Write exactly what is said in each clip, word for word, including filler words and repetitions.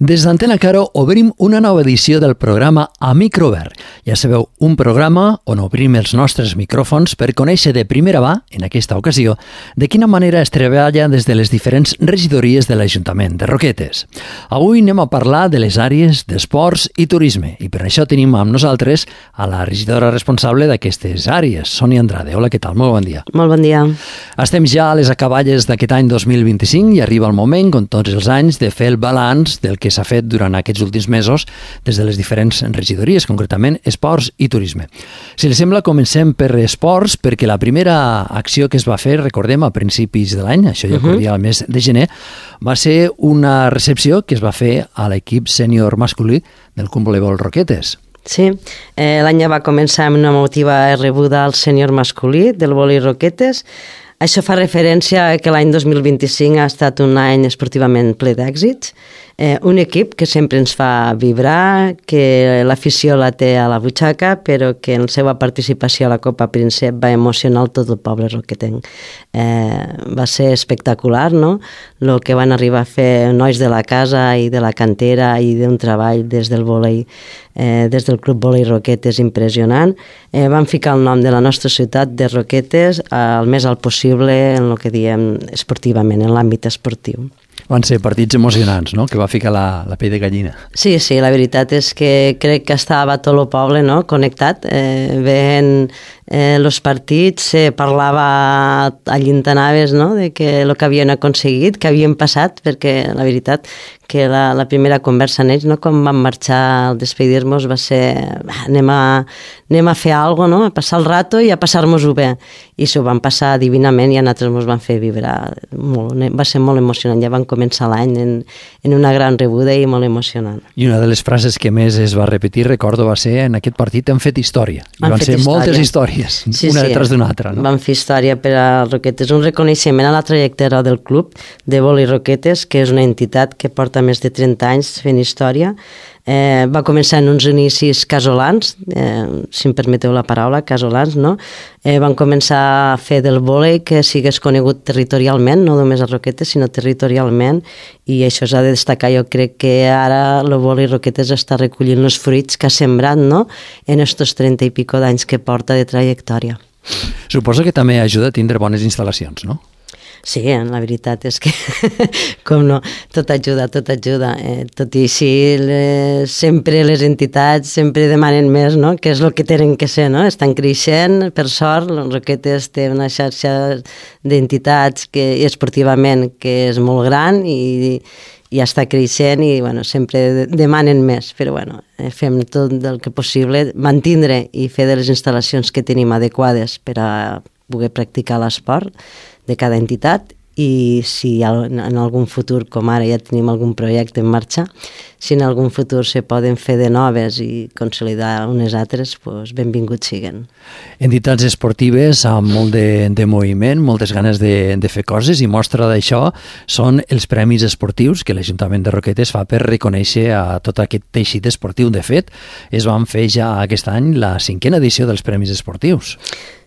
Des d'Antena Caro obrim una nova edició del programa A Microobert. Ja sabeu, un programa on obrim els nostres micròfons per conèixer de primera mà, en aquesta ocasió, de quina manera es treballa des de les diferents regidories de l'Ajuntament de Roquetes. Avui anem a parlar de les àrees d'esports i turisme i per això tenim amb nosaltres a la regidora responsable d'aquestes àrees, Sònia Andrade. Hola, què tal? Molt bon dia. Molt bon dia. Estem ja a les acaballes d'aquest any dos mil vint-i-cinc i arriba el moment, com tots els anys, de fer el balanç del que s'ha fet durant aquests últims mesos des de les diferents regidories, concretament esports i turisme. Si li sembla, comencem per esports, perquè la primera acció que es va fer, recordem, a principis de l'any, això ja corria al mes de gener, va ser una recepció que es va fer a l'equip sènior masculí del Club Voleibol Roquetes. Sí, eh, l'any ja va començar amb una emotiva rebuda al sènior masculí del Voli Roquetes. Això fa referència a que l'any dos mil vint-i-cinc ha estat un any esportivament ple d'èxits. Eh, un equip que sempre ens fa vibrar, que l'afició la té a la butxaca, però que en la seva participació a la Copa Príncep va emocionar tot el poble roquetenc. Eh, va ser espectacular, no?, el que van arribar a fer nois de la casa i de la cantera i d'un treball des del volei, eh, des del Club Volei Roquetes impressionant. Eh, van ficar el nom de la nostra ciutat de Roquetes al més alt possible en el que diem esportivament, en l'àmbit esportiu. Van ser partits emocionants, no?, que va ficar la, la pell de gallina. Sí, sí, la veritat és que crec que estava tot el poble, no?, connectat. Eh, veient eh, els partits, se eh, parlava allí on anaves, no?, de que el que havien aconseguit, que havien passat, perquè la veritat que la, la primera conversa en ells, no?, quan van marxar al despedir-nos, va ser anem a, anem a fer alguna cosa, no?, a passar el rato i a passar-nos-ho bé. I s'ho van passar divinament i a nosaltres ens van fer vibrar molt. Va ser molt emocionant. Ja van començar l'any en, en una gran rebuda i molt emocionant. I una de les frases que més es va repetir, recordo, va ser en aquest partit hem fet història. I van ser història. Moltes històries, sí, una sí, detrás d'una altra. No? Van fer història per a Roquetes. Un reconeixement a la trajectòria del club de Voli Roquetes, que és una entitat que porta més de trenta anys fent història. Eh, va començar en uns inicis casolans, eh, si em permeteu la paraula, casolans, no? Eh, van començar a fer del vòlei que sigués conegut territorialment, no només a Roquetes, sinó territorialment, i això s'ha de destacar. Jo crec que ara el vòlei Roquetes està recollint els fruits que ha sembrat, no?, en estos trenta i pico d'anys que porta de trajectòria. Suposo que també ajuda a tindre bones instal·lacions, no? Sí, la veritat és que, com no, tot ajuda, tot ajuda. Eh, tot i així, les, sempre les entitats sempre demanen més, no?, que és el que tenen que ser, no? Estan creixent, per sort, Roquetes té una xarxa d'entitats que, i esportivament que és molt gran i, i està creixent i, bueno, sempre demanen més, però, bueno, fem tot el que possible, mantindre i fer de les instal·lacions que tenim adequades per a poder practicar l'esport de cada entitat i si en algun futur, com ara ja tenim algun projecte en marxa, si en algun futur se poden fer de noves i consolidar unes altres, doncs benvinguts siguen. Entitats esportives amb molt de, de moviment, moltes ganes de, de fer coses i mostra d'això són els premis esportius que l'Ajuntament de Roquetes fa per reconèixer a tot aquest teixit esportiu. De fet, es van fer ja aquest any la cinquena edició dels premis esportius.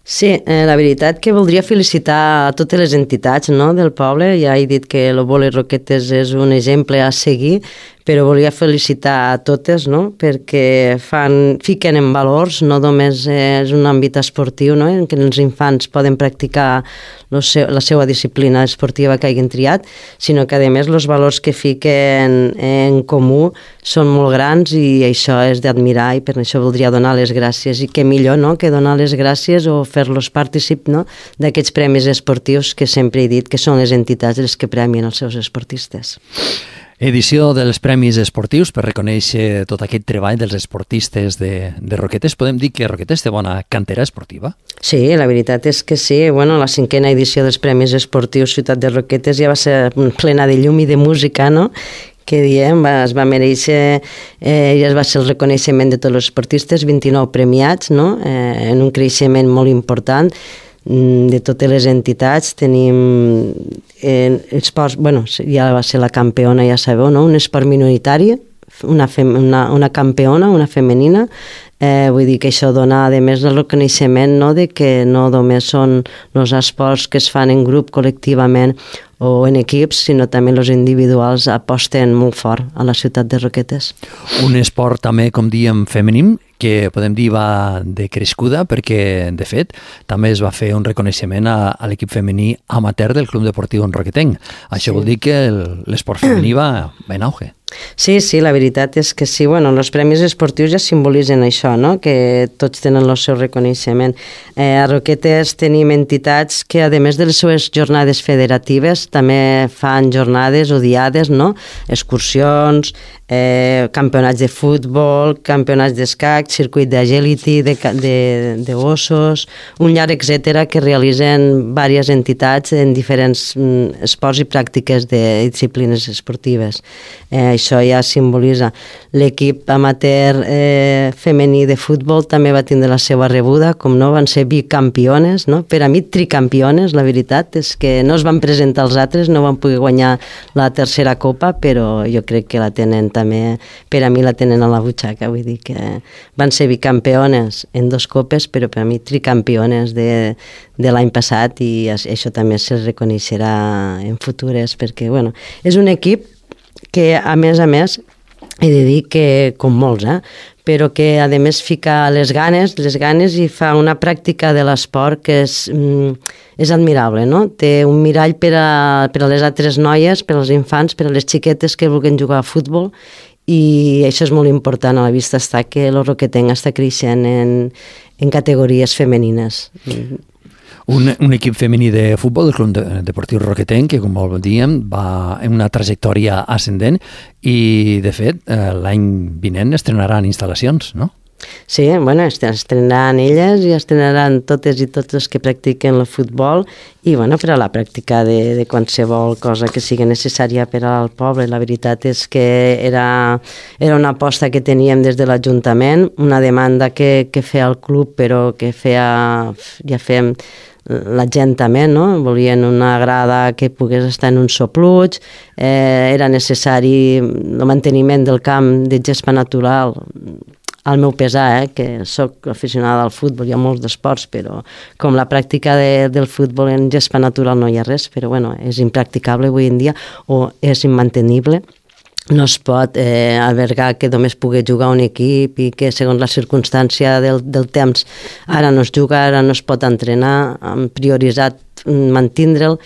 Sí, eh, la veritat que voldria felicitar a totes les entitats, no?, del poble. Ja he dit que el Voli Roquetes és un exemple a seguir, però volia felicitar a totes, no?, perquè fan, fiquen en valors, no només és un àmbit esportiu, no?, en què els infants poden practicar seu, la seva disciplina esportiva que hagin triat, sinó que, a més, els valors que fiquen en comú són molt grans i això és d'admirar i per això voldria donar les gràcies. I què millor, no?, que donar les gràcies o fer-los partícip, no?, d'aquests premis esportius que sempre he dit que són les entitats les que premien els seus esportistes. Edició dels Premis Esportius per reconèixer tot aquest treball dels esportistes de, de Roquetes. Podem dir que Roquetes té bona cantera esportiva? Sí, la veritat és que sí. Bueno, la cinquena edició dels Premis Esportius Ciutat de Roquetes ja va ser plena de llum i de música, no?, que diem, va, es va mereixer, eh, ja es va ser el reconeixement de tots els esportistes, vint-i-nou premiats, no?, eh, en un creixement molt important de totes les entitats. Tenim eh, esports, bueno, ja va ser la campiona, ja sabeu, no?, un esport minoritari una, fem, una, una campiona, una femenina. Eh, vull dir que això dona, a més, el reconeixement, no?, de que no només són els esports que es fan en grup, col·lectivament o en equips, sinó també els individuals aposten molt fort a la ciutat de Roquetes. Un esport també, com diem, femení, que podem dir va de crescuda, perquè, de fet, també es va fer un reconeixement a, a l'equip femení amateur del Club Deportiu Roquetenc. Això sí. Vol dir que l'esport femení va, va en auge. Sí, sí, la veritat és que sí. Bueno, els premis esportius ja simbolitzen això, no?, que tots tenen el seu reconeixement. Eh, a Roquetes tenim entitats que, a més de les seves jornades federatives, també fan jornades o diades, no?, excursions, eh, campionats de futbol, campionats d'escac, circuit d'agility, de, de, de gossos, un llarg etcètera que realitzen diverses entitats en diferents mm, esports i pràctiques de disciplines esportives. Eh, això ja simbolitza. L'equip amateur eh, femení de futbol també va tindre la seva rebuda, com no, van ser bicampiones, no? Per a mi tricampiones, la veritat és que no es van presentar els altres, no van poder guanyar la tercera copa, però jo crec que la tenen també, per a mi la tenen a la butxaca, vull dir que van ser bicampiones en dos copes, però per a mi tricampiones de, de l'any passat, i això també se reconeixerà en futures, perquè, bueno, és un equip que, a més a més, he de dir que, com molts, eh, però que, a més, fica les ganes, les ganes i fa una pràctica de l'esport que és, és admirable, no? Té un mirall per a, per a les altres noies, per als infants, per a les xiquetes que vulguin jugar a futbol, i això és molt important. A la vista està que el Roquetenc està creixent en, en categories femenines. Un, un equip femení de futbol del Club Deportiu Roquetenc que, com dèiem, va en una trajectòria ascendent i, de fet, l'any vinent estrenaran instal·lacions, no? Sí, bueno, estrenaran elles i estrenaran totes i tots els que practiquen el futbol i, bueno, per a la pràctica de, de qualsevol cosa que sigui necessària per al poble. La veritat és que era, era una aposta que teníem des de l'Ajuntament, una demanda que, que feia el club, però que feia, ja fem la gent també, no? Volien una grada que pogués estar en un sopluig, eh, era necessari el manteniment del camp de gespa natural, al meu pesar, eh, que sóc aficionada al futbol, hi ha molts d'esports, però com la pràctica de, del futbol en gespa natural no hi ha res, però bueno, és impracticable avui en dia o és immantenible. No es pot eh, albergar que només pugui jugar un equip i que segons la circumstància del, del temps ara no es juga, ara no es pot entrenar, hem prioritzat mantindre'l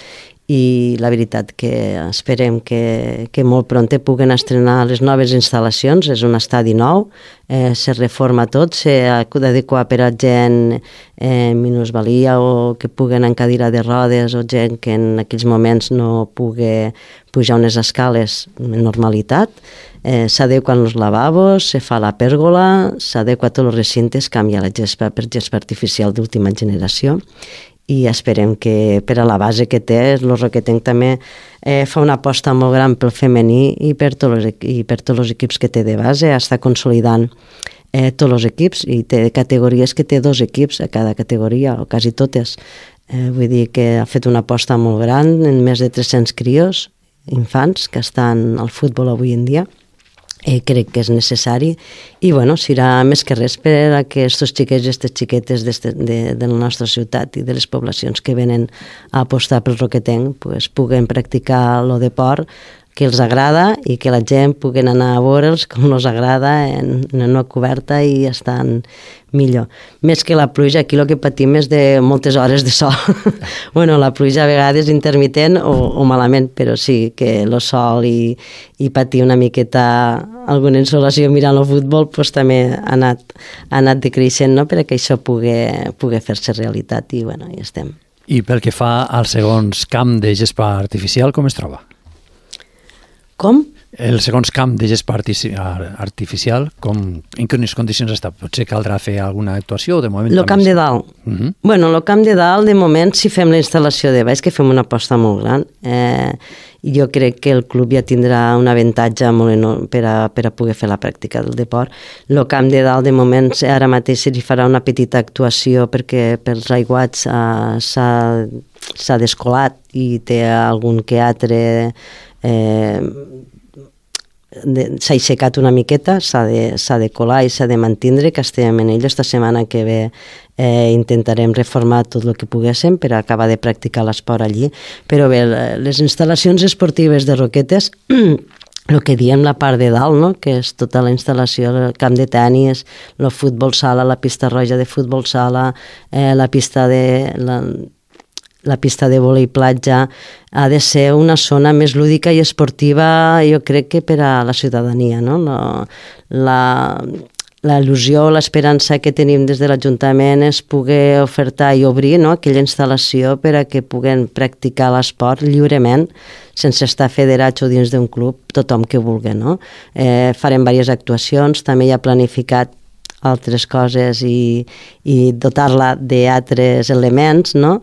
i la veritat que esperem que, que molt pront puguen estrenar les noves instal·lacions. És un estadi nou, eh, se reforma tot, s'adequa per a gent eh, minusvalia o que puguen en cadira de rodes o gent que en aquells moments no pugui pujar unes escales en normalitat. Eh, s'adequen els lavabos, se fa la pèrgola, s'adequa tots els recintes, canvia la gespa per gespa artificial d'última generació i esperem que per a la base que té, el Roquetenc també eh, fa una aposta molt gran pel femení i per tots els, i per tots els equips que té de base, està consolidant eh, tots els equips i té categories que té dos equips a cada categoria, o quasi totes. Eh, vull dir que ha fet una aposta molt gran en més de tres-cents crios, infants, que estan al futbol avui en dia. Eh, crec que és necessari i bueno, serà més que res per a que aquests xiquets i aquestes xiquetes de, de, de la nostra ciutat i de les poblacions que venen a apostar pel Roquetenc pues, puguen practicar el deport que els agrada i que la gent puguen anar a veure'ls com els agrada en, en una coberta i estan millor. Més que la pluja, aquí el que patim és de moltes hores de sol. Bueno, la pluja a vegades intermitent o, o malament, però sí que el sol i, i patir una miqueta alguna insolació mirant el futbol pues, també ha anat, ha anat decreixent, no? Perquè això pugui, pugui fer-se realitat i bueno, hi estem. I pel que fa al segon camp de gespa artificial, com es troba? Com? El segon camp de gespa artificial, com, en quines condicions està? Potser caldrà fer alguna actuació o de moment... El camp de dalt. Uh -huh. Bueno, el camp de dalt, de moment, si fem la instal·lació de baix, que fem una aposta molt gran, eh, jo crec que el club ja tindrà un avantatge molt enorme per a, per a poder fer la pràctica del deport. El camp de dalt, de moment, ara mateix se li farà una petita actuació perquè pels aiguats eh, s'ha descolat i té algun que altre... Eh, s'ha aixecat una miqueta, s'ha de, s'ha de colar i s'ha de mantindre, que estem en ell. Esta setmana que ve eh, intentarem reformar tot el que poguéssim per acabar de practicar l'esport allí. Però bé, les instal·lacions esportives de Roquetes, el que diem la part de dalt, no? Que és tota la instal·lació, el camp de tenis, el futbol sala, la pista roja de futbol sala, eh, la pista de... La, la pista de vòlei platja, ha de ser una zona més lúdica i esportiva, jo crec que per a la ciutadania, no? La, la, la il·lusió, l'esperança que tenim des de l'Ajuntament és poder ofertar i obrir, no? Aquella instal·lació per a que puguen practicar l'esport lliurement, sense estar federats o dins d'un club, tothom que vulgui, no? Eh, farem diverses actuacions, també hi ha planificat altres coses i, i dotar-la d'altres elements, no?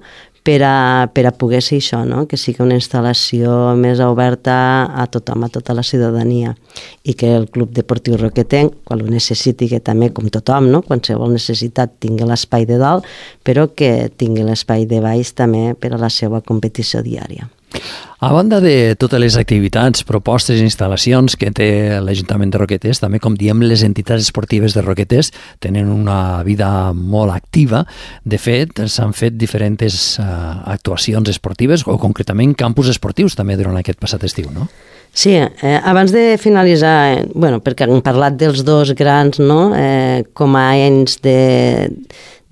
per a, per a poder ser això, no? Que sigui una instal·lació més oberta a tothom, a tota la ciutadania, i que el Club Deportiu Roquetenc, quan ho necessiti, que també com tothom, no? Qualsevol necessitat tingui l'espai de dalt, però que tingui l'espai de baix també per a la seva competició diària. A banda de totes les activitats, propostes i instal·lacions que té l'Ajuntament de Roquetes, també, com diem, les entitats esportives de Roquetes tenen una vida molt activa. De fet, s'han fet diferents uh, actuacions esportives o concretament campus esportius també durant aquest passat estiu, no? Sí, eh, abans de finalitzar, eh, bueno, perquè hem parlat dels dos grans, no? Eh, com a anys de...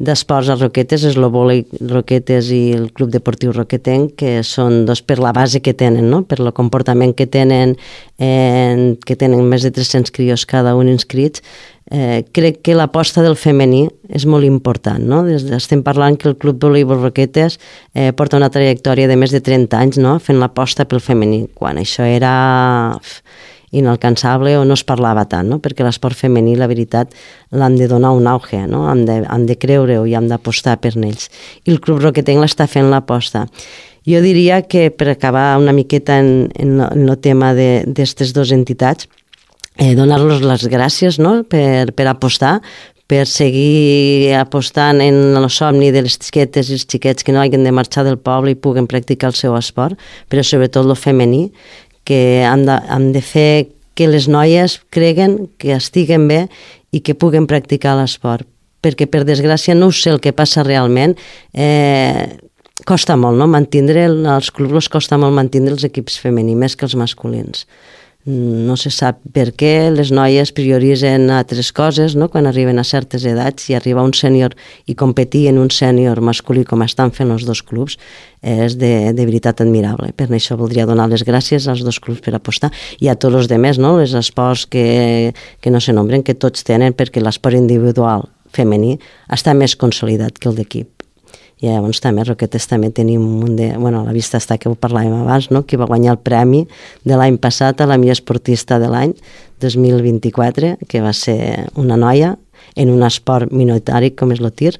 d'esports a Roquetes, és el vòlei Roquetes i el Club Deportiu Roquetenc, que són dos per la base que tenen, no? Per el comportament que tenen, eh, que tenen més de tres-cents crios cada un inscrits. Eh, crec que l'aposta del femení és molt important, no? Des de, estem parlant que el Club Voleibol Roquetes eh, porta una trajectòria de més de trenta anys, no? Fent l'aposta pel femení, quan això era inalcançable o no es parlava tant, no? Perquè l'esport femení, la veritat, l'han de donar un auge, no? Han de, han de creure-ho i han d'apostar per ells. I el Club Roquetenc l'està fent l'aposta. Jo diria que, per acabar una miqueta en, en, en el tema d'aquestes dues entitats, eh, donar-los les gràcies, no? per, per apostar, per seguir apostant en el somni de les xiquetes i els xiquets que no hagin de marxar del poble i puguen practicar el seu esport, però sobretot el femení, que han de, han de fer que les noies creguen que estiguen bé i que puguen practicar l'esport. Perquè, per desgràcia, no sé el que passa realment. Eh, costa molt, no? Mantindre, els clubs costa molt mantindre els equips femenins, més que els masculins. No se sap per què les noies prioritzen altres coses, no? Quan arriben a certes edats, i arribar a un sènior i competir en un sènior masculí com estan fent els dos clubs és de, de veritat admirable. Per això voldria donar les gràcies als dos clubs per apostar i a tots els demés, no? Els esports que, que no se nombren, que tots tenen, perquè l'esport individual femení està més consolidat que el d'equip. I llavors també a Roquetes també tenim un de... Bueno, a la vista està que ho parlàvem abans, no? Que va guanyar el premi de l'any passat a la millor esportista de l'any dos mil vint-i-quatre, que va ser una noia en un esport minoritari com és el tir.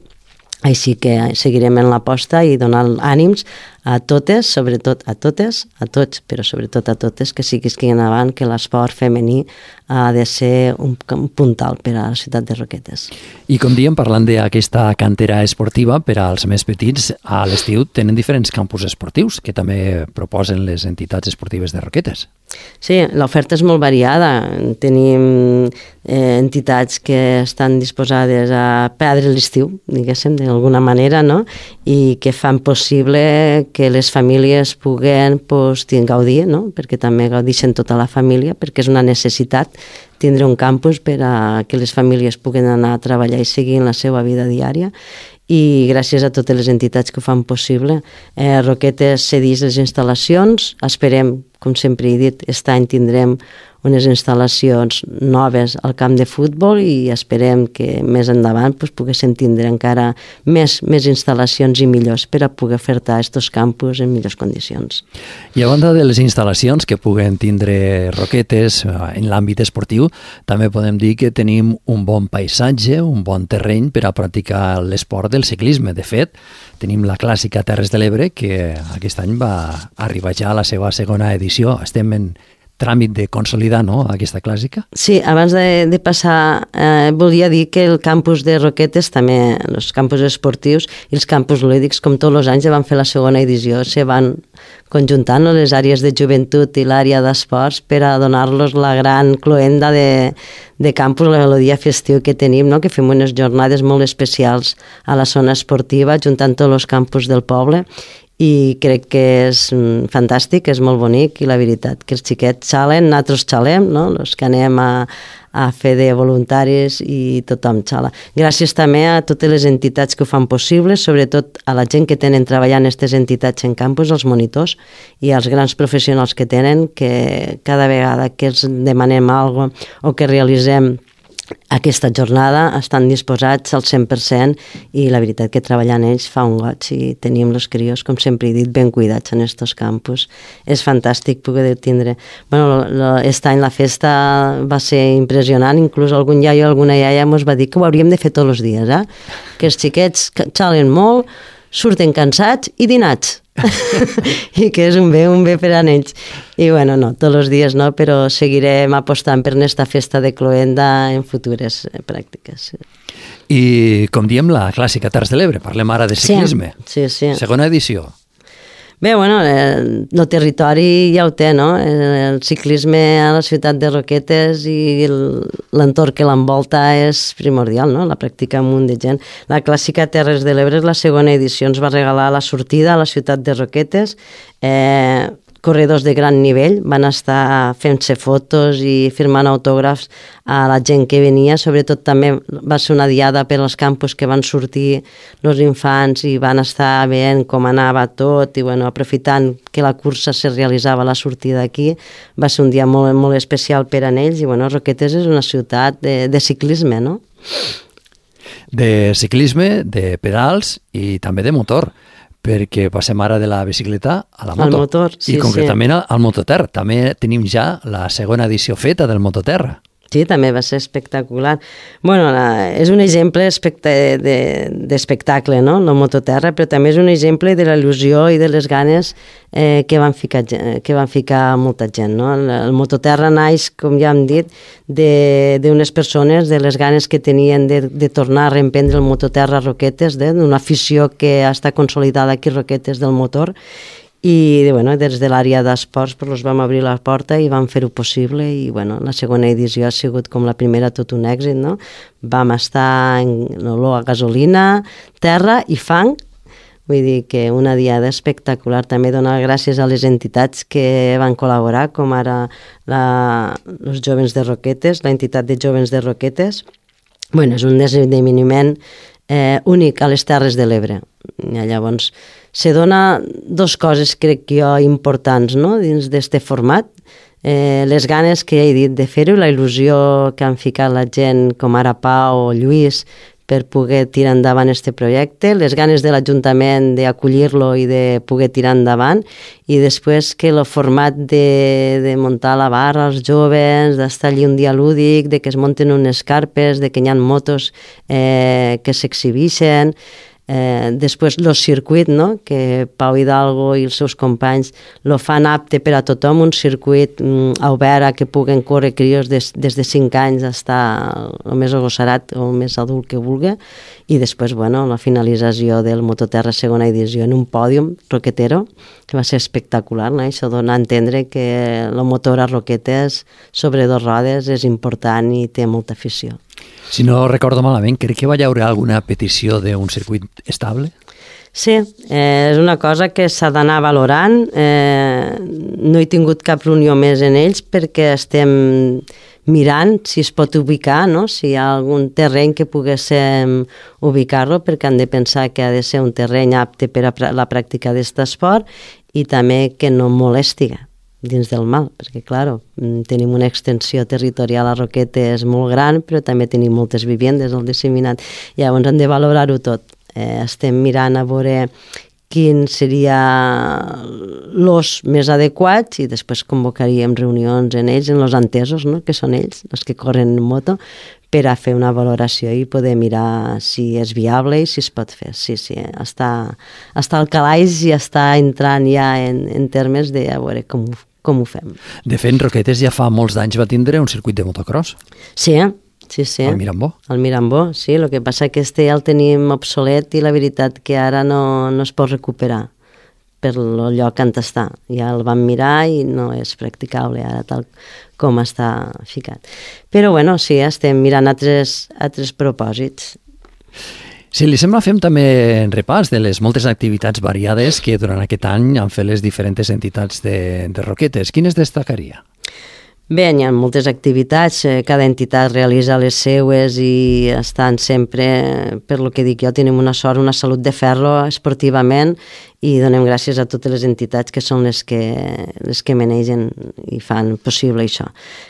Així que seguirem en l'aposta i donant ànims a totes, sobretot a totes, a tots, però sobretot a totes, que siguin avant, que l'esport femení ha de ser un, un puntal per a la ciutat de Roquetes. I com diem, parlant d'aquesta cantera esportiva, per als més petits, a l'estiu tenen diferents campus esportius que també proposen les entitats esportives de Roquetes. Sí, l'oferta és molt variada. Tenim eh, entitats que estan disposades a perdre l'estiu, diguéssim, d'alguna manera, no? I que fan possible que les famílies puguen pues, gaudir, no? Perquè també gaudixen tota la família, perquè és una necessitat tindre un campus per a que les famílies puguen anar a treballar i seguir en la seva vida diària. I gràcies a totes les entitats que ho fan possible. Eh, Roquetes cedeix les instal·lacions, esperem, com sempre he dit, aquest any tindrem unes instal·lacions noves al camp de futbol i esperem que més endavant pues, poguéssim tindre encara més, més instal·lacions i millors per a poder ofertar aquests campus en millors condicions. I a banda de les instal·lacions que puguen tindre Roquetes en l'àmbit esportiu, també podem dir que tenim un bon paisatge, un bon terreny per a practicar l'esport del ciclisme. De fet, tenim la clàssica Terres de l'Ebre, que aquest any va arribar ja a la seva segona edició. Estem en tràmit de consolidar, no?, aquesta clàssica. Sí, abans de, de passar, eh, volia dir que el campus de Roquetes, també els campus esportius i els campus lúdics, com tots els anys, van fer la segona edició, se van conjuntant les àrees de joventut i l'àrea d'esports per a donar-los la gran cloenda de, de campus, la melodia festiu que tenim, no?, que fem unes jornades molt especials a la zona esportiva, juntant tots els campus del poble, i crec que és fantàstic, és molt bonic, i la veritat que els xiquets xalen, nosaltres xalem, no?, els que anem a, a fer de voluntaris i tothom xala. Gràcies també a totes les entitats que ho fan possible, sobretot a la gent que tenen treballant aquestes entitats en campus, els monitors i els grans professionals que tenen, que cada vegada que els demanem alguna cosa o que realitzem aquesta jornada estan disposats al cent per cent, i la veritat que treballant ells fa un goig, i tenim els crios, com sempre he dit, ben cuidats en estos campus. És fantàstic poder tindre... Bueno, aquest any la festa va ser impressionant, inclús algun iaio o alguna iaia ens va dir que ho hauríem de fer tots els dies, eh? Que els xiquets xalen molt, surten cansats i dinats. I que és un bé, un bé per a ells. I bueno, no, tots els dies no, però seguirem apostant per aquesta festa de cloenda en futures pràctiques. I com diem, la clàssica Terres de l'Ebre, parlem ara de ciclisme. Sí, sí, sí. Segona edició. Bé, bueno, el, el territori ja ho té, no? El ciclisme a la ciutat de Roquetes i l'entorn que l'envolta és primordial, no? La practica un munt de gent. La clàssica Terres de l'Ebre, la segona edició, ens va regalar la sortida a la ciutat de Roquetes. Eh, corredors de gran nivell van estar fent-se fotos i firmant autògrafs a la gent que venia, sobretot també va ser una diada per als campus que van sortir els infants i van estar veient com anava tot, i bueno, aprofitant que la cursa se realitzava a la sortida aquí, va ser un dia molt, molt especial per a ells, i bueno, Roquetes és una ciutat de, de ciclisme, no? De ciclisme, de pedals i també de motor, perquè passem ara de la bicicleta a la moto. Al motor, sí, I concretament sí. al mototerra. També tenim ja la segona edició feta del mototerra. Sí, també va ser espectacular. Bueno, la, és un exemple d'espectacle, de, no?, el mototerra, però també és un exemple de la il·lusió i de les ganes eh, que, van ficar, que van ficar molta gent, no? El, el mototerra naix, com ja hem dit, d'unes persones, de les ganes que tenien de, de tornar a reemprendre el mototerra a Roquetes, d'una afició que està consolidada aquí a Roquetes del motor, i bueno, des de l'àrea d'esports pues, els vam obrir la porta i vam fer-ho possible, i bueno, la segona edició ha sigut com la primera tot un èxit, no? Vam estar en olor a gasolina, terra i fang, vull dir que una diada espectacular. També donar gràcies a les entitats que van col·laborar, com ara la, els Jovens de Roquetes, la entitat de Jovens de Roquetes. Bueno, és un esdeveniment eh, únic a les Terres de l'Ebre. Llavors, se dona dos coses, crec que jo, importants, no?, dins d'este format. Eh, les ganes que ja he dit de fer-ho, la il·lusió que han ficat la gent, com ara Pau o Lluís, per poder tirar endavant este projecte, les ganes de l'Ajuntament d'acollir-lo i de poder tirar endavant, i després que el format de, de muntar la barra als joves, d'estar allí un dia lúdic, de que es munten unes carpes, de que hi ha motos eh, que s'exhibixen. Eh, després el circuit, no?, que Pau Hidalgo i els seus companys lo fan apte per a tothom, un circuit mm, obert a que puguen córrer crios des, des de cinc anys fins el més agossarat o el més adult que vulgui, i després, bueno, la finalització del Mototerra segona edició en un pòdium roquetero, que va ser espectacular, no? Això dona a entendre que el motor a Roquetes sobre dos rodes és important i té molta afició. Si no recordo malament, crec que va hi haver alguna petició d'un circuit estable? Sí, eh, és una cosa que s'ha d'anar valorant. Eh, no he tingut cap reunió més en ells perquè estem mirant si es pot ubicar, no?, si hi ha algun terreny que poguéssim ubicar-lo, perquè han de pensar que ha de ser un terreny apte per a la pràctica d'aquest esport i també que no molesti dins del mal, perquè, clar, tenim una extensió territorial a Roquetes molt gran, però també tenim moltes vivendes al disseminat. Llavors hem de valorar-ho tot. Eh, estem mirant a veure quin seria l'os més adequat, i després convocaríem reunions en ells, en els entesos, no?, que són ells, els que corren en moto, per a fer una valoració i poder mirar si és viable i si es pot fer. Sí, sí, està, està al calaix i està entrant ja en, en termes de a veure com, com ho fem. De fet, Roquetes ja fa molts d'anys va tindre un circuit de motocross. Sí, sí, sí. Al Mirambó. Al Mirambó, sí. El que passa que este ja el tenim obsolet i la veritat que ara no, no es pot recuperar per el lloc on està. Ja el vam mirar i no és practicable ara tal com està ficat. Però bueno, sí, estem mirant altres, altres propòsits. Si li sembla, fem també un repàs de les moltes activitats variades que durant aquest any han fet les diferents entitats de, de Roquetes. Quines destacaria? Bé, hi ha moltes activitats, cada entitat realitza les seues i estan sempre, per lo que dic jo, tenim una sort, una salut de ferro esportivament i donem gràcies a totes les entitats que són les que, les que manegen i fan possible això.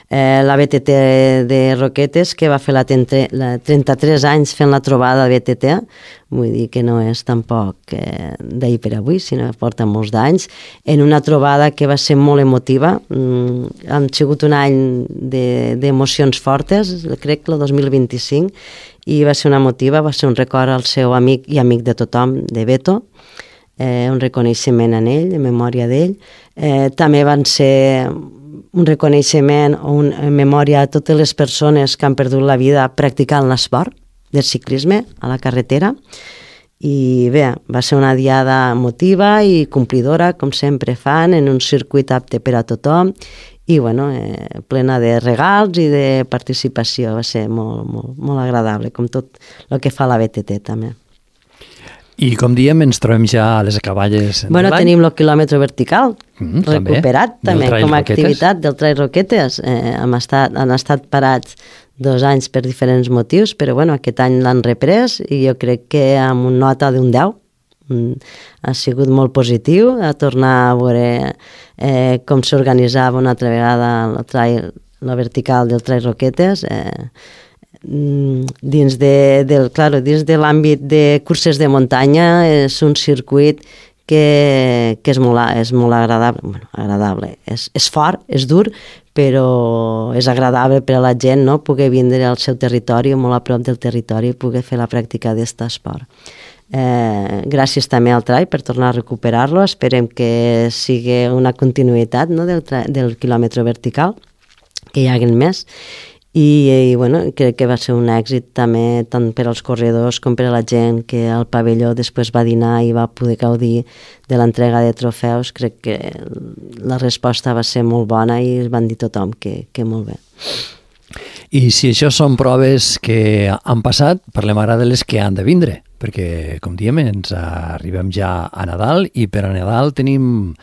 Eh, la B T T de Roquetes, que va fer la, la trenta-tres anys fent la trobada B T T, vull dir que no és tampoc eh, d'ahir per avui, sinó que porta molts d'anys, en una trobada que va ser molt emotiva. Mm, han sigut un any d'emocions de, fortes, crec que el dos mil vint-i-cinc, i va ser una emotiva, va ser un record al seu amic i amic de tothom, de Beto, eh, un reconeixement en ell, en memòria d'ell. Eh, també van ser un reconeixement o un, en memòria a totes les persones que han perdut la vida practicant l'esport del ciclisme a la carretera. I bé, va ser una diada emotiva i complidora, com sempre fan, en un circuit apte per a tothom i bueno, eh, plena de regals i de participació. Va ser molt, molt, molt agradable, com tot el que fa la B T T també. I com diem, ens trobem ja a les acaballes bueno, de l'any. tenim el quilòmetre vertical mm, recuperat també, també com a Roquetes. activitat del Trail Roquetes. Eh, hem estat, han estat parats dos anys per diferents motius, però bueno, aquest any l'han reprès i jo crec que amb una nota d'un deu mm, ha sigut molt positiu a tornar a veure eh, com s'organitzava una altra vegada el trail, la vertical del Trail Roquetes. Eh, dins de, del, claro, dins de l'àmbit de curses de muntanya és un circuit que, que és, molt, és molt agradable, bueno, agradable. És, és fort, és dur, però és agradable per a la gent, no?, poder vindre al seu territori, molt a prop del territori, i poder fer la pràctica d'aquest esport. Eh, gràcies també al Trail per tornar a recuperar-lo, esperem que sigui una continuïtat, no?, del, del quilòmetre vertical, que hi hagin més. I, i bueno, crec que va ser un èxit també tant per als corredors com per a la gent que al pavelló després va dinar i va poder gaudir de l'entrega de trofeus. Crec que la resposta va ser molt bona i es van dir tothom que, que molt bé. I si això són proves que han passat, parlem ara de les que han de vindre, perquè, com diem, ens arribem ja a Nadal i per a Nadal tenim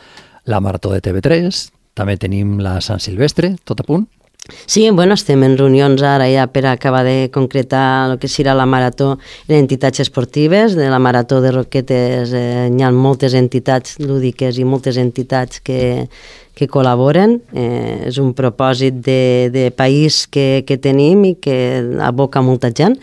la Marató de T V tres, també tenim la Sant Silvestre, tot a punt. Sí, bueno, estem en reunions ara ja per acabar de concretar el que serà la marató en entitats esportives. De la Marató de Roquetes eh, hi ha moltes entitats lúdiques i moltes entitats que, que col·laboren. Eh, és un propòsit de, de país que, que tenim i que aboca molta gent.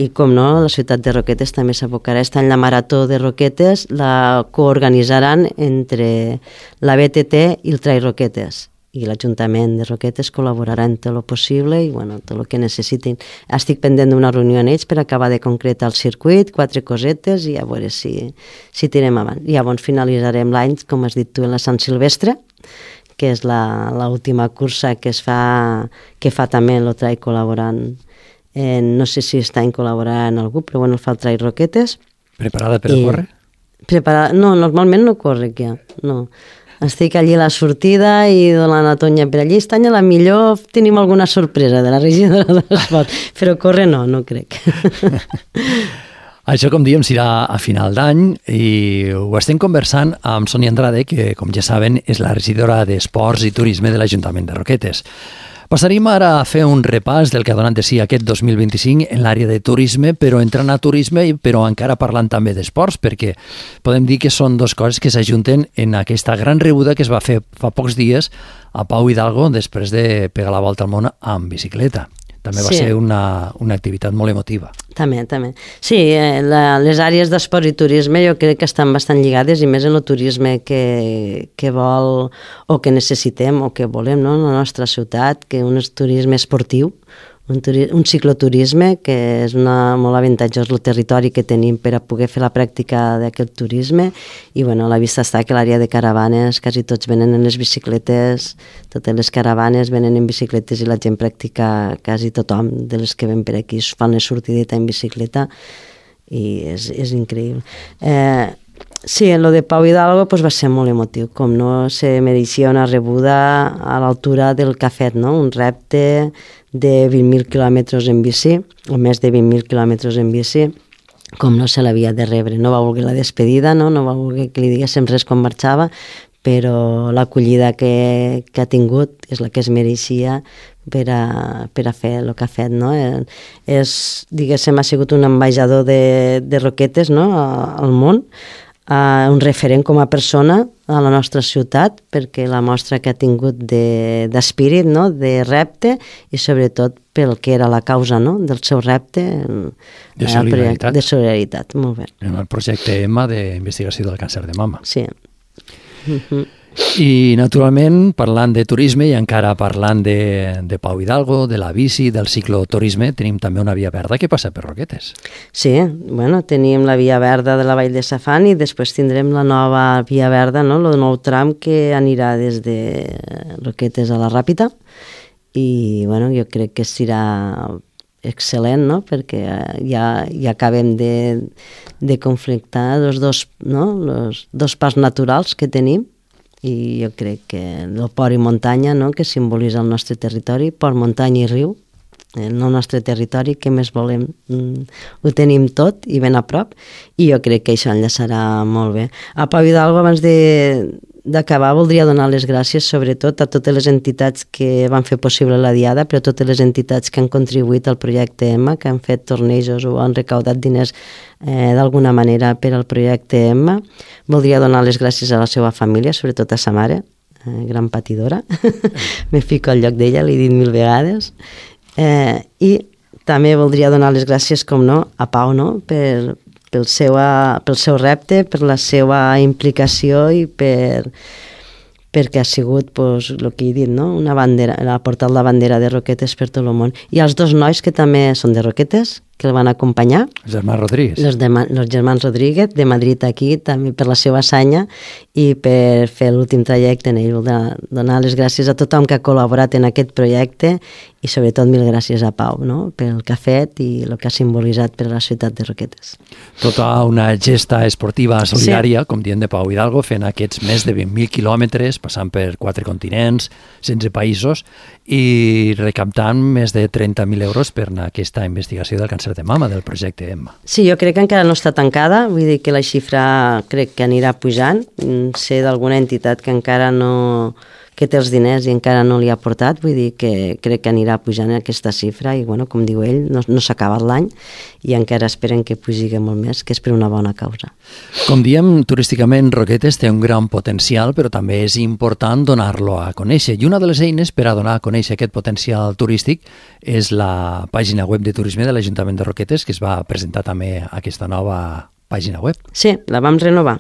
I, com no, la ciutat de Roquetes també s'abocarà. Està en la Marató de Roquetes, la coorganitzaran entre la B T T i el Trail Roquetes. I l'Ajuntament de Roquetes col·laborarà en tot el possible i bueno, tot el que necessitin. Estic pendent d'una reunió amb ells per acabar de concretar el circuit, quatre cosetes i a veure si, si tirem avant. I llavors finalitzarem l'any, com has dit tu, en la Sant Silvestre, que és l'última cursa que es fa, que fa també el Trail col·laborant. Eh, no sé si està en col·laborar en algú, però bueno, el fa el Trail Roquetes. Preparada per I, a córrer? Preparada, no, normalment no corre ja, no. Estic allí a la sortida i donant la tonya per allí. Aquest any a la millor tenim alguna sorpresa de la regidora de l'esport, però córrer no, no crec. Això, com diem, serà a final d'any i ho estem conversant amb Sònia Andrade, que, com ja saben, és la regidora d'Esports i Turisme de l'Ajuntament de Roquetes. Passaríem ara a fer un repàs del que ha donat de si aquest dos mil vint-i-cinc en l'àrea de turisme, però entrant a turisme, però encara parlant també d'esports, perquè podem dir que són dues coses que s'ajunten en aquesta gran rebuda que es va fer fa pocs dies a Pau Hidalgo després de pegar la volta al món amb bicicleta. També va sí. ser una, una activitat molt emotiva. També, també. Sí, eh, la, les àrees d'esport i turisme jo crec que estan bastant lligades i més en el turisme que, que vol o que necessitem o que volem, no?, en la nostra ciutat, que un turisme esportiu, un, turi un cicloturisme que és una, molt avantatjós el territori que tenim per a poder fer la pràctica d'aquest turisme i bueno, a la vista està que l'àrea de caravanes quasi tots venen en les bicicletes, totes les caravanes venen en bicicletes i la gent practica, quasi tothom de les que ven per aquí fan les sortidetes en bicicleta i és, és increïble. Eh, sí, en lo de Pau Hidalgo pues, va ser molt emotiu, com no se mereixia una rebuda a l'altura del que ha fet, no? Un repte de vint mil quilòmetres en bici, o més de vint mil quilòmetres en bici, com no se l'havia de rebre. No va voler la despedida, no, no va voler que li diguéssim res quan marxava, però l'acollida que, que ha tingut és la que es mereixia per a, per a fer el que ha fet, no? És, diguéssim, ha sigut un ambaixador de, de Roquetes, no?, al món, Uh, un referent com a persona a la nostra ciutat, perquè la mostra que ha tingut d'espírit, de, no? De repte, i sobretot pel que era la causa, no? Del seu repte. De solidaritat. De solidaritat, molt bé. En el projecte EMMA d'investigació del càncer de mama. Sí. Uh-huh. I, naturalment, parlant de turisme i encara parlant de, de Pau Hidalgo, de la bici, del cicloturisme, tenim també una via verda que passa per Roquetes. Sí, bueno, tenim la via verda de la Vall de Safant i després tindrem la nova via verda, no? El nou tram que anirà des de Roquetes a la Ràpita i, bueno, jo crec que serà excel·lent, no? Perquè ja, ja acabem de, de conflictar els dos, no? Los dos parcs naturals que tenim i jo crec que el port i muntanya, no?, que simbolitza el nostre territori, port, muntanya i riu, el nostre territori, què més volem? Mm, ho tenim tot i ben a prop i jo crec que això enllaçarà molt bé. A Pau Hidalgo, abans d'acabar, voldria donar les gràcies sobretot a totes les entitats que van fer possible la diada, però totes les entitats que han contribuït al projecte EMMA, que han fet tornejos o han recaudat diners eh, d'alguna manera per al projecte EMMA. Voldria donar les gràcies a la seva família, sobretot a sa mare, eh, gran patidora. Me fico al lloc d'ella, l'he dit mil vegades. Eh, I també voldria donar les gràcies, com no, a Pau, no?, per, pel, seu, pel seu repte, per la seva implicació i per, perquè ha sigut, pues, el que he dit, no?, una bandera, ha portat la bandera de Roquetes per tot el món. I els dos nois que també són de Roquetes, que el van acompanyar. Els germans Rodríguez. Els, de, els germans Rodríguez, de Madrid aquí, també per la seva assanya i per fer l'últim trajecte en ell. Donar les gràcies a tothom que ha col·laborat en aquest projecte i sobretot mil gràcies a Pau, no?, pel que ha fet i el que ha simbolitzat per a la ciutat de Roquetes. Tota una gesta esportiva solidària, sí, com dient de Pau Hidalgo, fent aquests més de vint mil quilòmetres, passant per quatre continents, setze països i recaptant més de trenta mil euros per aquesta investigació del càncer de mama del projecte EMMA. Sí, jo crec que encara no està tancada, vull dir que la xifra crec que anirà pujant. Sé d'alguna entitat que encara no, que té els diners i encara no li ha portat, vull dir que crec que anirà pujant aquesta xifra i, bueno, com diu ell, no, no s'ha acabat l'any i encara esperen que pugi molt més, que és per una bona causa. Com diem, turísticament Roquetes té un gran potencial, però també és important donar-lo a conèixer. I una de les eines per a donar a conèixer aquest potencial turístic és la pàgina web de turisme de l'Ajuntament de Roquetes, que es va presentar també aquesta nova pàgina web. Sí, la vam renovar.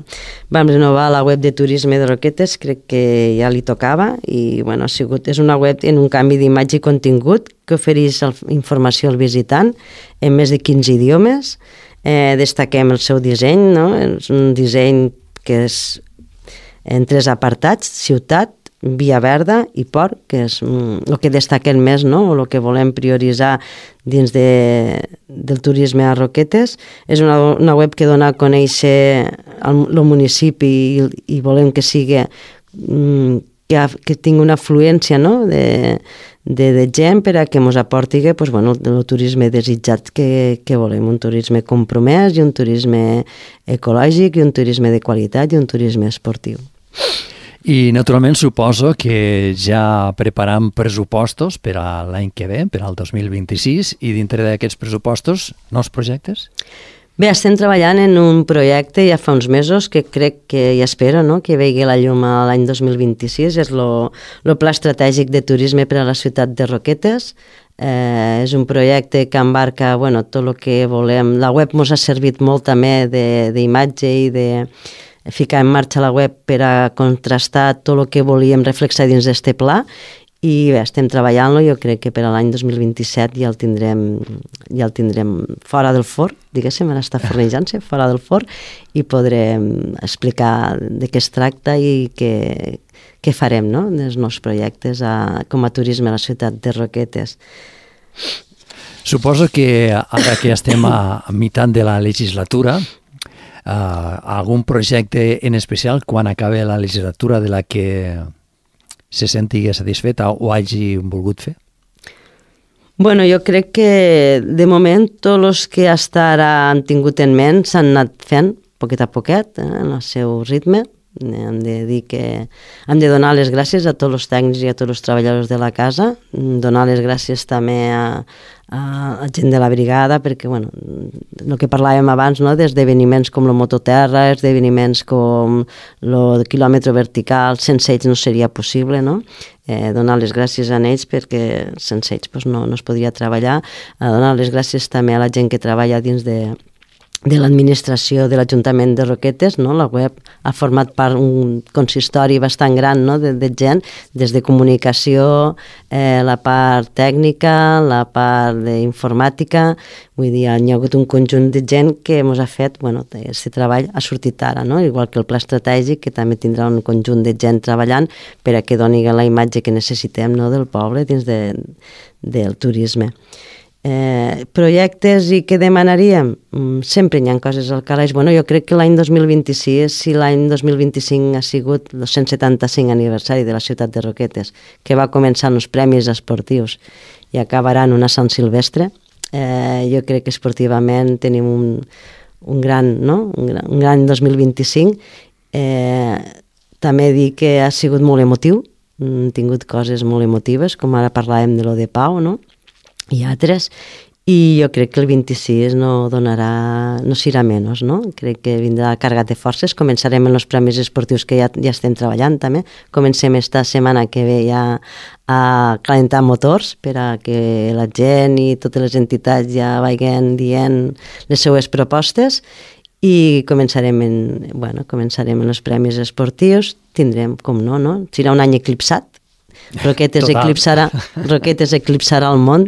Vam renovar la web de turisme de Roquetes, crec que ja li tocava i, bueno, ha sigut, és una web en un canvi d'imatge i contingut que ofereix informació al visitant en més de quinze idiomes. Eh, destaquem el seu disseny, no? És un disseny que és en tres apartats: ciutat, via verda i port, que és el que destaquen més, no?, o el que volem prioritzar dins de, del turisme a Roquetes. És una, una web que dona a conèixer el, el municipi i, i volem que sigui que, que tingui una afluència, no?, de, de, de gent per a que ens aporti, pues, bueno, el turisme desitjat que, que volem, un turisme compromès i un turisme ecològic i un turisme de qualitat i un turisme esportiu. I, naturalment, suposo que ja preparam pressupostos per a l'any que ve, per al dos mil vint-i-sis, i dintre d'aquests pressupostos, nous projectes? Bé, estem treballant en un projecte ja fa uns mesos que crec que, i espero, no?, que vegi la llum l'any dos mil vint-i-sis. És el Pla Estratègic de Turisme per a la ciutat de Roquetes. Eh, és un projecte que embarca, bueno, tot el que volem. La web ens ha servit molt també d'imatge i de ficar en marxa la web per a contrastar tot el que volíem reflexar dins d'este pla i bé, estem treballant-lo, jo crec que per a l'any dos mil vint-i-set ja el tindrem, ja el tindrem fora del forn, diguéssim, ara està fornejant-se fora del forn, i podrem explicar de què es tracta i què, què farem, no?, dels nous projectes a, com a turisme a la ciutat de Roquetes. Suposo que ara que estem a, a meitat de la legislatura, uh, algun projecte en especial quan acabe la legislatura de la que se senti satisfeta o hagi volgut fer? Bueno, jo crec que de moment tots els que fins ara han tingut en ment s'han anat fent poquet a poquet, eh, en el seu ritme. Hem de dir que hem de donar les gràcies a tots els tècnics i a tots els treballadors de la casa, donar les gràcies també a, a, a gent de la brigada, perquè, bueno, el que parlàvem abans, no?, d'esdeveniments com el Mototerra, esdeveniments com el quilòmetre vertical, sense ells no seria possible, no?, eh, donar les gràcies a ells perquè sense ells pues, no, no es podria treballar, a donar les gràcies també a la gent que treballa dins de de l'administració de l'Ajuntament de Roquetes, no? La web ha format part un consistori bastant gran, no?, de, de gent, des de comunicació, eh, la part tècnica, la part d'informàtica, vull dir, hi ha hagut un conjunt de gent que ens ha fet, bueno, aquest treball ha sortit ara, no?, igual que el pla estratègic, que també tindrà un conjunt de gent treballant per a que doni la imatge que necessitem, no?, del poble dins de, del turisme. Eh, projectes i què demanaríem? Mm, sempre hi ha coses al calaix. Bueno, jo crec que l'any dos mil vint-i-sis, si l'any dos mil vint-i-cinc ha sigut el cent setanta-cinc aniversari de la ciutat de Roquetes, que va començar amb els premis esportius i acabarà en una Sant Silvestre, eh, jo crec que esportivament tenim un, un gran, no? un gran, un gran dos mil vint-i-cinc. Eh, també dir que ha sigut molt emotiu, hem tingut coses molt emotives, com ara parlàvem de lo de Pau, no?, i altres, i jo crec que el vint-i-sis no donarà, no serà menys, no? Crec que vindrà carregat de forces. Començarem en els premis esportius que ja, ja estem treballant també. Comencem esta setmana que ve ja a calentar motors per a que la gent i totes les entitats ja vagin dient les seues propostes, i començarem en, bueno, començarem en els premis esportius. Tindrem, com no, no? Serà un any eclipsat. Roquetes eclipsarà, Roquetes eclipsarà el món,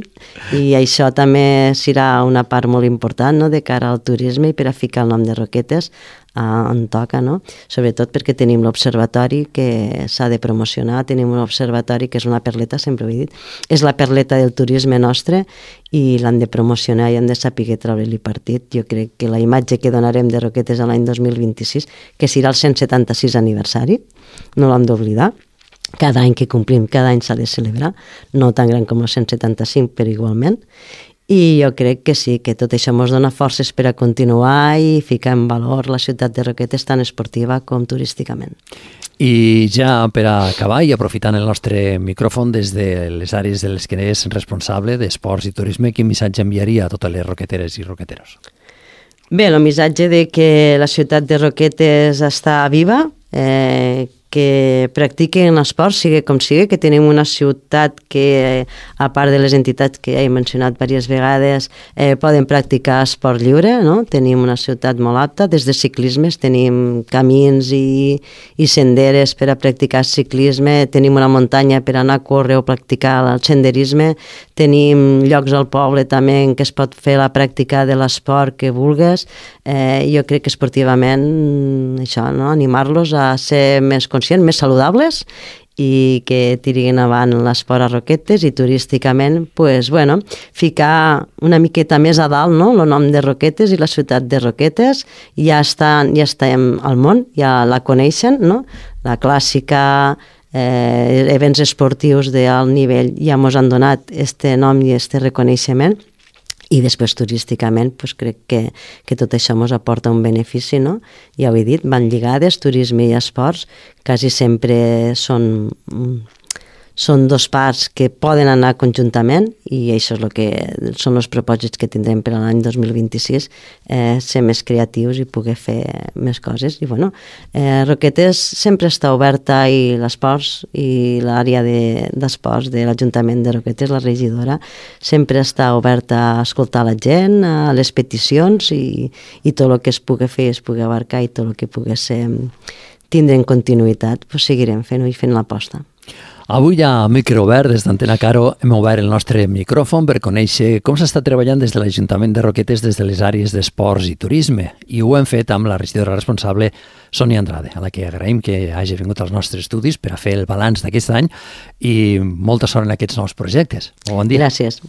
i això també serà una part molt important, no?, de cara al turisme, i per a ficar el nom de Roquetes eh, on toca, no? Sobretot perquè tenim l'observatori que s'ha de promocionar, tenim un observatori que és una perleta, sempre ho he dit, és la perleta del turisme nostre, i l'hem de promocionar i hem de saber treure-li partit. Jo crec que la imatge que donarem de Roquetes l'any dos mil vint-i-sis, que serà el cent setanta-sis aniversari, no l'hem d'oblidar. Cada any que complim, cada any s'ha de celebrar, no tan gran com el cent setanta-cinc, però igualment. I jo crec que sí, que tot això ens dona forces per a continuar i ficar en valor la ciutat de Roquetes, tant esportiva com turísticament. I ja per a acabar, i aprofitant el nostre micròfon des de les àrees de les que és responsable d'esports i turisme, quin missatge enviaria a totes les roqueteres i roqueteros? Bé, el missatge de que la ciutat de Roquetes està viva, eh, que practiquen l'esport, sigui com sigui, que tenim una ciutat que, a part de les entitats que he mencionat diverses vegades, eh, poden practicar esport lliure, no? Tenim una ciutat molt apta, des de ciclismes, tenim camins i, i senderes per a practicar ciclisme, tenim una muntanya per anar a córrer o practicar el senderisme, tenim llocs al poble també en què es pot fer la pràctica de l'esport que vulgues. Eh, jo crec que esportivament, això, no? Animar-los a ser més conscients, més saludables, i que tirin avant l'esport a Roquetes, i turísticament, pues, bueno, ficar una miqueta més a dalt, no?, el nom de Roquetes i la ciutat de Roquetes. Ja està, ja estem al món, ja la coneixen, no? La clàssica, eh, events esportius d'alt nivell ja ens han donat este nom i este reconeixement. I després turísticament pues, crec que, que tot això ens aporta un benefici, no? Ja ho he dit, van lligades, turisme i esports, quasi sempre són, són dos parts que poden anar conjuntament, i això és el que són els propòsits que tindrem per a l'any dos mil vint-i-sis, eh, ser més creatius i poder fer més coses. I bueno, eh, Roquetes sempre està oberta, i l'esports i l'àrea d'esports de, de l'Ajuntament de Roquetes, la regidora, sempre està oberta a escoltar la gent, a les peticions, i, i tot el que es pugui fer, es pugui abarcar, i tot el que pugui ser, tindre en continuïtat, pues seguirem fent-ho i fent l'aposta. Avui a micro obert des d'Antena Caro hem obert el nostre micròfon per conèixer com s'està treballant des de l'Ajuntament de Roquetes des de les àrees d'esports i turisme, i ho hem fet amb la regidora responsable Sònia Andrade, a la que agraïm que hagi vingut als nostres estudis per a fer el balanç d'aquest any i molta sort en aquests nous projectes. Bon dia. Gràcies.